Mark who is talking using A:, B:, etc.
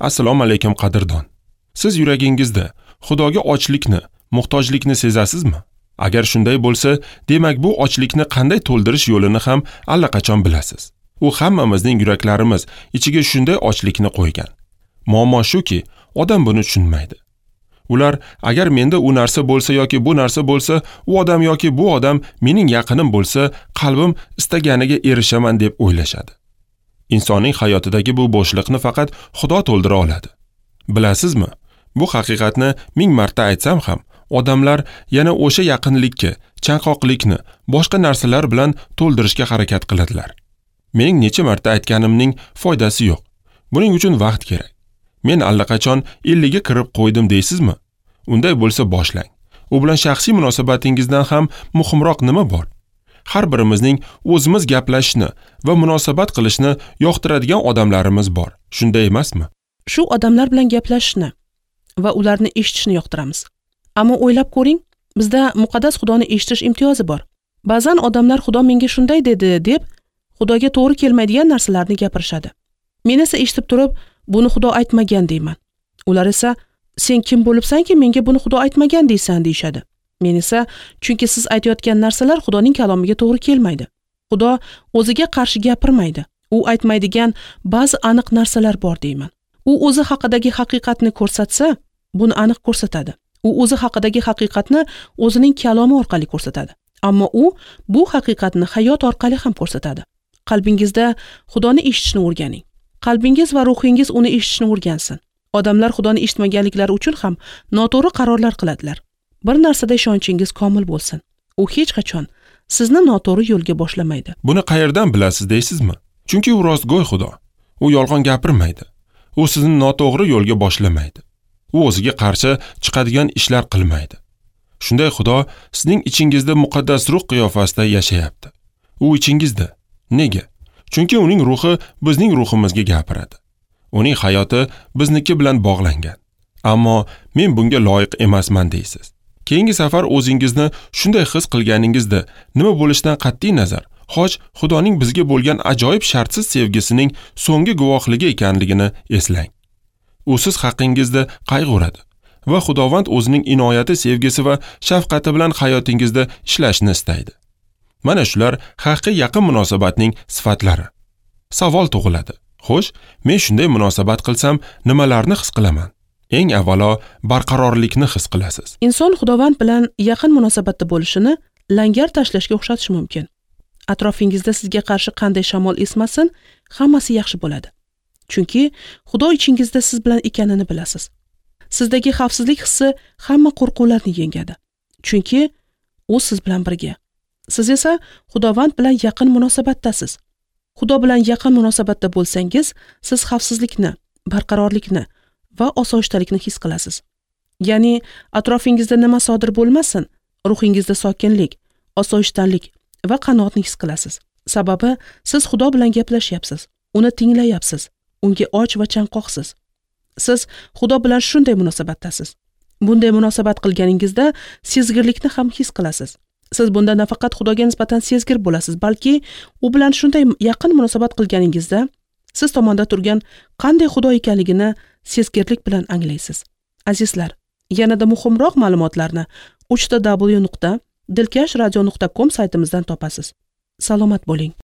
A: Assalomu alaykum qadrdon. Siz yuragingizda Xudoga ochlikni, muhtojlikni sezasizmi? Agar shunday bo'lsa, demak bu ochlikni qanday to'ldirish yo'lini ham allaqachon bilasiz. U hammamizning yuraklarimiz ichiga shunday ochlikni qo'ygan. Muammo shuki, odam buni tushunmaydi. Ular agar menda u narsa bo'lsa yoki bu narsa bo'lsa, u odam yoki bu odam mening yaqinim bo'lsa, qalbim istaganiga erishaman deb o'ylashadi. Insonning hayotidagi bu bo'shliqni faqat Xudo to'ldira oladi. Bilasizmi? Bu haqiqatni ming marta aytsam ham, odamlar yana o'sha yaqinlikka, chanqoqlikni boshqa narsalar bilan to'ldirishga harakat qiladilar. Mening necha marta aytganimning foydasi yo'q. Buning uchun vaqt kerak. Men allaqachon 50 ga kirib qo'ydim deysizmi? Unday bo'lsa boshlang. U bilan shaxsiy munosabatingizdan ham muhimroq nima bor? Har birimizning o'zimiz gaplashishni va munosabat qilishni yoqtiradigan odamlarimiz bor. Shunday emasmi?
B: Shu odamlar bilan gaplashishni va ularni eshitishni yoqtiramiz. Ammo o'ylab ko'ring, bizda muqaddas Xudoni eshitish imtiyozi bor. Ba'zan odamlar Xudo menga shunday dedi deb Xudoga to'g'ri kelmaydigan narsalarni gapirishadi. Men esa eshitib turib, buni Xudo aytmagan deyman. Ular esa sen kim bo'libsanki menga buni Xudo aytmagan deysan deyshadi. Men esa chunki siz aytayotgan narsalar Xudoning kalomiga to'g'ri kelmaydi. Xudo o'ziga qarshi gapirmaydi. U aytmaydigan ba'zi aniq narsalar bor deyman. U o'zi haqidagi haqiqatni ko'rsatsa, buni aniq ko'rsatadi. U o'zi haqidagi haqiqatni o'zining kalomi orqali ko'rsatadi. Ammo u bu haqiqatni hayot orqali ham ko'rsatadi. Qalbingizda Xudoni eshitishni o'rganing. Qalbingiz va ruhingiz uni eshitishni o'rgansin. Odamlar Xudoni eshitmaganliklari uchun ham noto'g'ri qarorlar qiladilar. Bir narsada ishonchingiz komil bo'lsin. U hech qachon sizni noto'g'ri yo'lga boshlamaydi.
A: Buni qayerdan bilasiz deysizmi? Chunki u rostgo'y Xudo. U yolg'on gapirmaydi. U sizni noto'g'ri yo'lga boshlamaydi. U o'ziga qarshi chiqadigan ishlar qilmaydi. Shunday Xudo sizning ichingizda muqaddas ruh qiyofasida yashayapti. U ichingizda. Nega? Chunki uning ruhi bizning ruhimizga gapiradi. Uning hayoti bizniki bilan bog'langan. Ammo men bunga loyiq emasman deysiz. Keyingi safar o'zingizni shunday his qilganingizda nima bo'lishidan qat'iy nazar, xoch Xudoning bizga bo'lgan ajoyib shartsiz sevgisining so'nggi guvohligi ekanligini eslang. U siz haqingizda qayg'uradi va Xudovand o'zining inoyati, sevgisi va shafqati bilan hayotingizda ishlashni istaydi. Mana shular haqiqiy yaqin munosabatning sifatlari. Savol tug'iladi. Xo'sh, men shunday munosabat qilsam, nimalarni his qilaman? Eng avvalo barqarorlikni his qilasiz.
B: Inson Xudovand bilan yaqin munosabatda bo'lishini langar tashlashga o'xshatish mumkin. Atrofingizda sizga qarshi qanday shamol esmasin, hammasi yaxshi bo'ladi. Chunki Xudo ichingizda siz bilan ekanini bilasiz. Sizdagi xavfsizlik hissi hamma qo'rquvlarni yengadi. Chunki u siz bilan birga. Siz esa Xudovand bilan yaqin munosabatdasiz. Xudo bilan yaqin munosabatda bo'lsangiz, siz xavfsizlikni, barqarorlikni va osoyishtalikni his qilasiz. Ya'ni atrofingizda nima sodir bo'lmasin, ruhingizda sokinlik, osoyishtalik va qanoatni his qilasiz. Sababi siz Xudo bilan gaplashyapsiz, uni tinglayapsiz, unga och va chanqoqsiz. Siz Xudo bilan shunday munosabatdasiz. Bunday munosabat qilganingizda sezgirlikni ham his qilasiz. Siz bunda nafaqat Xudoga nisbatan sezgir bo'lasiz, balki u bilan shunday yaqin munosabat qilganingizda siz tomonda turgan qanday Xudo ekanligini sezgirlik bilan anglaysiz. Azizlar, yanada muhimroq ma'lumotlarni www.dilkashradio.com saytimizdan topasiz. Salomat bo'ling.